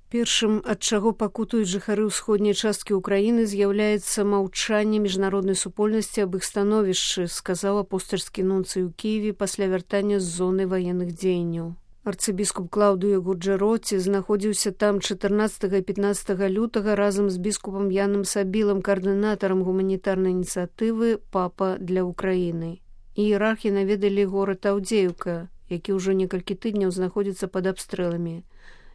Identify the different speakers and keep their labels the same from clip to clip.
Speaker 1: Першым, ад чаго пакутуюць жыхары ўсходняй часткі ўкраіны, з'яўляецца маўчанне міжнароднай супольнасці аб іх становішчы, сказаў апостальскі нунцый у Кіеве пасля вяртання з зоны ваенных дзеянняў. Арцыбіскуп Клаўдыё Гуджэроці знаходзіўся там 14 і 15 лютага разам з біскупам Яном Сабілам, каардынатарам гуманітарнай ініцыятывы «Папа для Ўкраіны». Іерархі наведалі горад Аўдзеўка, які ўжо некалькі тыдняў знаходзіцца пад абстрэламі,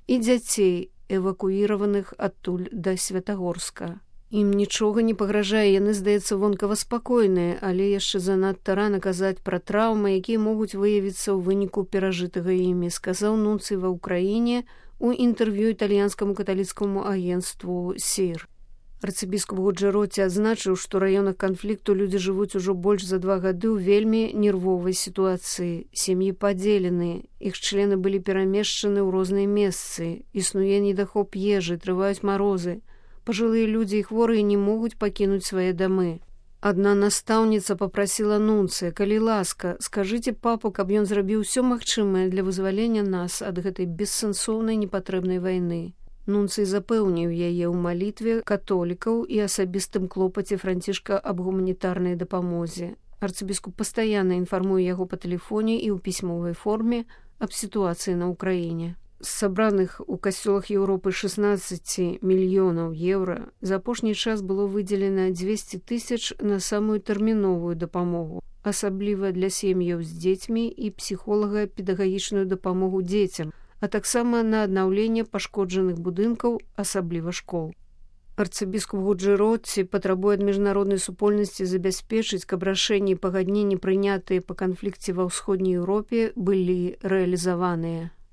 Speaker 1: і дзяцей, эвакуіраваных адтуль да Святагорска. Ім нічога не пагражае, яны, здаецца, вонкава спакойныя, але яшчэ занадта рана казаць пра траўмы, якія могуць выявіцца ў выніку перажытага імі, сказаў нунцый ва ўкраіне у інтэрв'ю італьянскаму каталіцкаму агенцтву «Сір». Арцыбіскуп Гуджэроці адзначыў, што ў раёнах канфлікту людзі жывуць ужо больш за 2 гады ў вельмі нервовай сітуацыі. Сям'і падзелены, іх члены былі перамешчаны ў розныя месцы, існуе недахоп ежы, трываюць марозы. Пажылыя людзі і хворыя не могуць пакінуць свае дамы. Адна настаўніца папрасіла нунцыя: «Калі ласка, скажыце папу, каб ён зрабіў усё магчымае для вызвалення нас ад гэтай бессэнсоўнай непатрэбнай вайны». Нунцый запэўніў яе ў малітве католікаў і асабістым клопаце Францішка аб гуманітарнай дапамозе. Арцыбіскуп пастаянна інфармуе яго па тэлефоне і ў пісьмовай форме аб сітуацыі на ўкраіне. З сабраных у касцёлах Еўропы 16 мільёнаў еўра за апошні час было выдзелена 200 000 на самую тэрміновую дапамогу, асабліва для сем'яў з дзецьмі і псіхолага-педагагічную дапамогу дзецям, а таксама на аднаўленне пашкоджаных будынкаў, асабліва школ. Арцыбіскуп Гуджэроці патрабуе ад міжнароднай супольнасці забяспечыць, каб рашэнні і пагадненні, прынятыя па канфлікце ва ўсходняй Еўропе, былі рэалізаваныя.